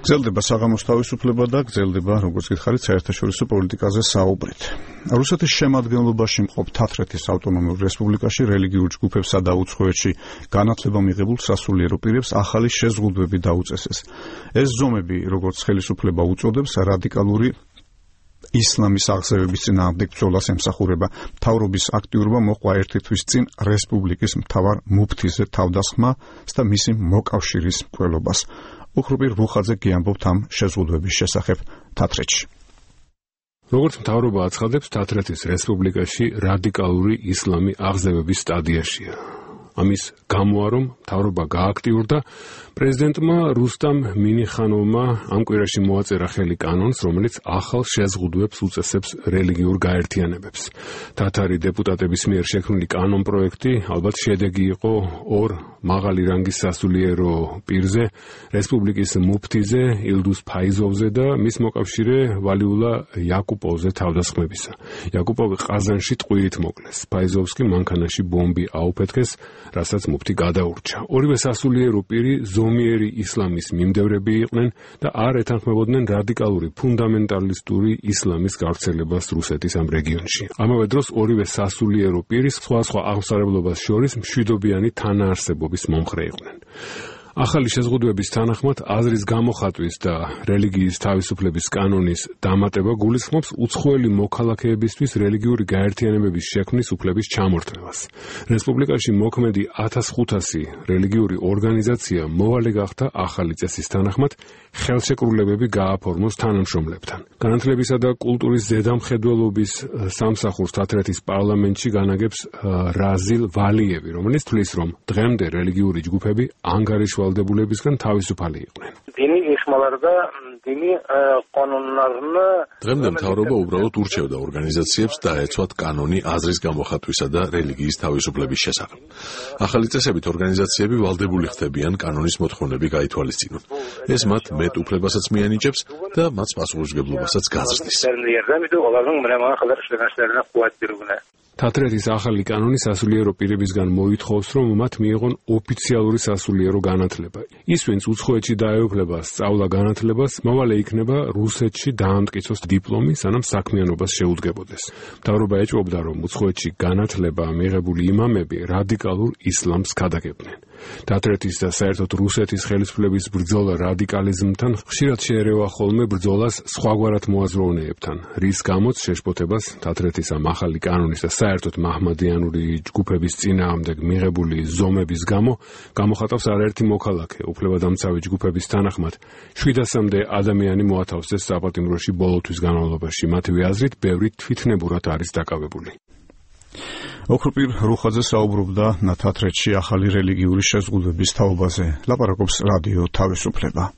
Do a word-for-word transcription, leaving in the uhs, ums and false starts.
გრძელდება საღამოს თავისუფლება და გრძელდება, როგორც გითხარით, საერთაშორისო პოლიტიკაზე საუბრით. რუსეთის შემადგენლობაში მყოფ თათრეთის ავტონომიურ რესპუბლიკაში რელიგიურ ჯგუფებსა და უცხოეთში განათლება მიღებულ სასულიერო პირებს ახალი შეზღუდვები დაუწესეს. ეს ზომები, როგორც ხელისუფლება უწოდებს, რადიკალური ისლამის აღზევების წინააღმდეგ ბრძოლას ემსახურება. მთავრობის აქტიურობა მოჰყვა ერთი თვის წინ რესპუბლიკის მთავარ მუფთიზე თავდასხმა და მისი მოკავშირის მკვლელობას. უხრუპი რუხაძე გიამბობთ ამ შეზღუდვების შესახებ თათრეთში. როგორც მთავრობა აცხადებს, თათრეთის რესპუბლიკაში რადიკალური ისლამი აღზევების სტადიაშია. ამის გამოა, რომ მთავრობა გააქტიურდა, პრეზიდენტმა რუსტამ მინიხანოვმა ამ კვირაში მოაწერა ხელი კანონს, რომელიც ახალ შეზღუდვებს უწესებს რელიგიურ გაერთიანებებს. თათარი დეპუტატების მიერ შექმნილი კანონპროექტი ალბათ შედეგი იყო ორ მაღალი რანგის სასულიერო პირზე, რესპუბლიკის მუფთიზე ილდუს ფაიზოვზე და მის მოკავშირე ვალიულა იაკუპოვზე თავდასხმებისა. იაკუპოვი ყაზანში ტყვიით მოკლეს. ფაიზოვს კი მანქანაში ბომბი აუფეთქეს, რასაც მუფთი გადაურჩა. ორივე სასულიერო პირი ზომიერი ისლამის მიმდევრები იყვნენ და არ ეთანხმებოდნენ რადიკალური ფუნდამენტალისტური ისლამის გავრცელებას რუსეთის ამ რეგიონში. ამავე დროს ორივე სასულიერო პირი სხვადასხვა აღმსარებლობას შორის მშვიდობიანი თანაარსებობის მომხრე იყვნენ. ახალი შეზღუდვების თანახმად აზრის გამოხატვის და რელიგიის თავისუფლების კანონის დამატება გულისხმობს უცხოელი მოქალაქეებისთვის რელიგიური გაერთიანებების შექმნის უფლების ჩამორთმევას. რესპუბლიკაში მოქმედი ათას ხუთასი რელიგიური ორგანიზაცია მოვალე გახდა ახალი წესის თანახმად ხელშეკრულებები გააფორმოს თანამშრომლებთან. განათლებისა და კულტურის ზედამხედველობის სამსახურს თათრეთის პარლამენტში განაგებს რაზილ ვალიევი, რომელიც თვლის, რომ დღემდე რელიგიური ჯგუფები ანგარიშვალ ვალდებულებისგან თავისუფალი იყვნენ. დინი იხმარდა დინი კანონარნა დღემდე მთავრობა უბრალოდ ურჩევდა ორგანიზაციებს დაეცვათ კანონი აზრის გამოხატვისა და რელიგიის თავისუფლების შესახებ. ახალი წესებით ორგანიზაციები ვალდებული ხდებიან კანონის მოთხოვნები გაითვალისწინონ. ეს მათ მეტ უფლებასაც მიანიჭებს და მათ პასუხისმგებლობასაც გაზრდის. თათრეთის ახალი კანონი სასულიერო პირებისგან მოითხოვს, რომ მათ მიიღონ ოფიციალური სასულიერო განათლება. ის, ვინც უცხოეთში დაეუფლება სწავლა განათლებას, მოვალე იქნება რუსეთში დაამტკიცოს დიპლომი, სანამ საქმიანობას შეუდგებოდეს. მთავრობა ეჭვობდა, რომ უცხოეთში განათლება მიღებული იმამები რადიკალურ ისლამს ქადაგებდნენ. თათრეთის და საერთოდ რუსეთის ხელისუფლების ბრძოლა რადიკალიზმთან ხშირად შეერევა ხოლმე ბრძოლას სხვაგვარად მოაზროვნეებთან, რის გამოც შეშფოთებას თათრეთის ამ ახალი კანონის და საერთოდ მაჰმადიანური ჯგუფების წინააღმდეგ მიღებული ზომების გამო გამოხატავს არაერთი მოქალაქე. უფლებადამცავი ჯგუფების თანახმად შვიდასამდე ადამიანი მოათავსეს საპატიმროში ბოლო თვის განმავლობაში. მათივე აზრით, ბევრი თვითნებურად არის დაკავებული. ოქროპირ რუხაძე საუბრობდა თათრეთში ახალი რელიგიური შეზღუდვების თაობაზე. ლაპარაკობს რადიო თავისუფლება.